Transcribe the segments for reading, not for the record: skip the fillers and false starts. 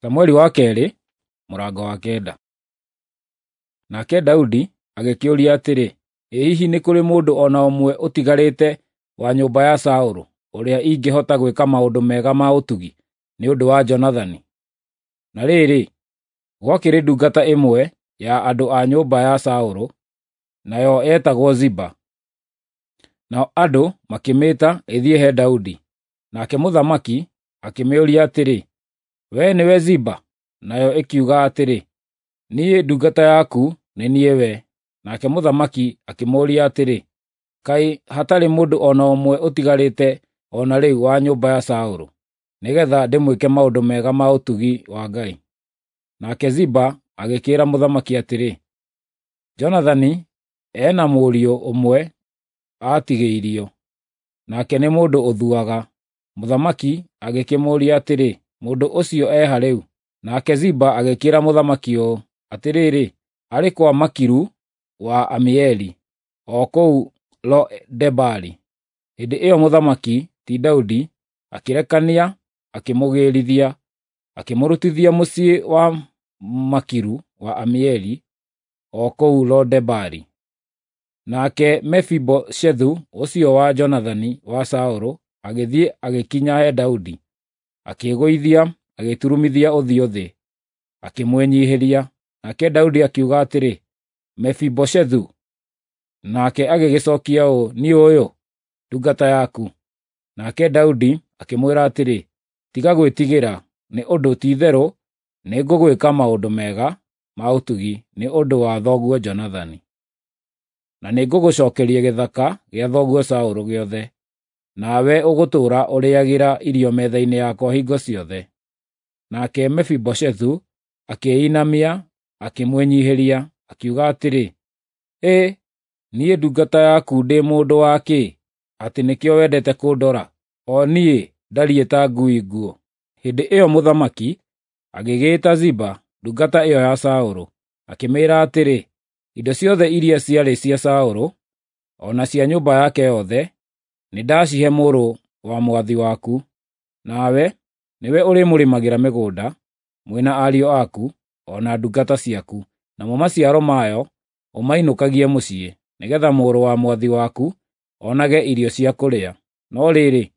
Samueli wa kerĩ mũrango wa 9. Nake Daudi agĩkĩũria atĩrĩ, Ĩ hihi nĩ kũrĩ mũndũ o na ũmwe ũtigarĩte wa nyũmba ya Saũlũ ũrĩa ingĩhota gwĩka maũndũ mega ma ũtugi nĩ ũndũ wa Jonathani? Na rĩrĩ, gwakĩrĩ ndungata ĩmwe ya andũ a nyũmba ya Saũlũ, nayo yetagwo Ziba. Nao andũ makĩmĩĩta ĩthiĩ he Daudi, nake mũthamaki akĩmĩũria atĩrĩ, "Wee nĩwe Ziba?" Nayo ĩkiuga atĩrĩ, "Niĩ ndungata yaku nĩ niĩ we." Nake mũthamaki akĩmũũria atĩrĩ, "Kaĩ hatarĩ mũndũ o na ũmwe ũtigarĩte o na rĩu wa nyũmba ya Saũlũ, nĩgeetha ndĩmwĩke maũndũ mega ma ũtugi wa Ngai?" Nake Ziba agĩkĩĩra mũthamaki atĩrĩ, "Jonathani e na mũriũ ũmwe aatigĩirio, nake nĩ mũndũ ũthuaga." Mũthamaki agĩkĩmũũria atĩrĩ, "Mũndũ ũcio e ha rĩu?" Nake Ziba agĩkĩĩra mũthamaki ũũ, "Atĩrĩrĩ, arĩ kwa Makiru wa Amieli, o kũu Lo-Debari." Hĩndĩ ĩyo mũthamaki, ti Daudi, akĩrekania akĩmũgĩrithia, akĩmũrutithia mũciĩ wa Makiru wa Amieli, o kũu Lo-Debari. Nake Mefiboshethu ũcio wa Jonathani wa Saũlũ agĩthiĩ agĩkinya he Daudi, akĩĩgũithia agĩturumithia ũthiũ thĩ, akĩmwĩnyiihĩria. Nake Daudi akiuga atĩrĩ, "Mefiboshethu!" Nake agĩgĩcookia ũũ, "Niĩ ũyũ, ndungata yaku." Nake Daudi akĩmwĩra atĩrĩ, "Tiga gwĩtigĩra, nĩ ũndũ ti-itherũ nĩngũgwĩka maũndũ mega ma ũtugi nĩ ũndũ wa thoguo Jonathani, na nĩngũgũcookeria gĩthaka gĩa thoguo Saũlũ gĩothe, nawe ũgũtũũra ũrĩĩagĩra irio metha-inĩ yakwa hingo ciothe." Nake Mefiboshethu akĩĩinamia akĩmwĩnyiihĩria, akiuga atĩrĩ, "Ĩ, niĩ ndungata yaku ndĩ mũndũ wa kĩ, atĩ nĩkĩo wendete kũndora, o niĩ ndariĩ ta ngui nguũ?" Hĩndĩ ĩyo mũthamaki agĩgĩĩta Ziba, ndungata ĩyo ya Saũlũ, akĩmĩĩra atĩrĩ, "Indo ciothe iria ciarĩ cia Saũlũ, o na cia nyũmba yake yothe, nĩndacihe mũrũ wa mwathi waku. Nawe nĩwe ũrĩmũrĩmagĩra mĩgũnda, mwĩ na ariũ aku, o na ndungata ciaku, namo maciaro mayo ũmainũkagie mũciĩ, nĩgeetha mũrũ wa mwathi waku onage irio cia kũrĩa. No rĩrĩ,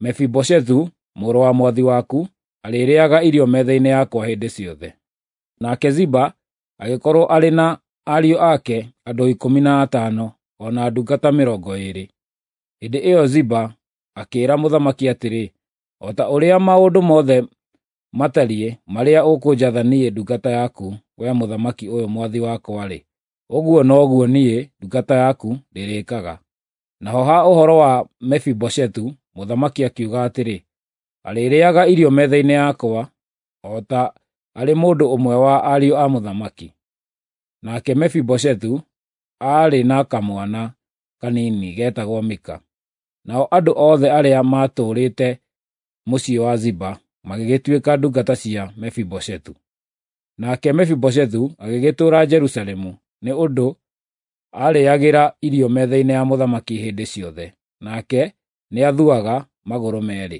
Mefiboshethu mũrũ wa mwathi waku arĩrĩĩaga irio metha-inĩ yakwa hĩndĩ ciothe." Nake Ziba agĩkorwo arĩ na ariũ ake andũ 15, o na ndungata 20. Hĩndĩ ĩyo Ziba akĩĩra mũthamaki atĩrĩ, "O ta ũrĩa maũndũ mothe matariĩ marĩa ũkũnjatha niĩ ndungata yaku, wee mũthamaki ũyũ mwathi wakwa-rĩ, ũguo noguo niĩ ndungata yaku ndĩrĩĩkaga." Naho ha ũhoro wa Mefiboshethu, mũthamaki akiuga atĩrĩ, "Arĩrĩĩaga irio metha-inĩ yakwa, o ta arĩ mũndũ ũmwe wa ariũ a mũthamaki." Nake Mefiboshethu aarĩ na kamwana kanini geetagwo Mika. Nao andũ othe arĩa maatũũrĩte mũciĩ wa Ziba magĩgĩtuĩka ndungata cia Mefiboshethu. Nake Mefiboshethu agĩgĩtũũra Jerusalemu, nĩ ũndũ aarĩĩagĩra irio metha-inĩ ya mũthamaki hĩndĩ ciothe, nake nĩathuaga magũrũ meerĩ.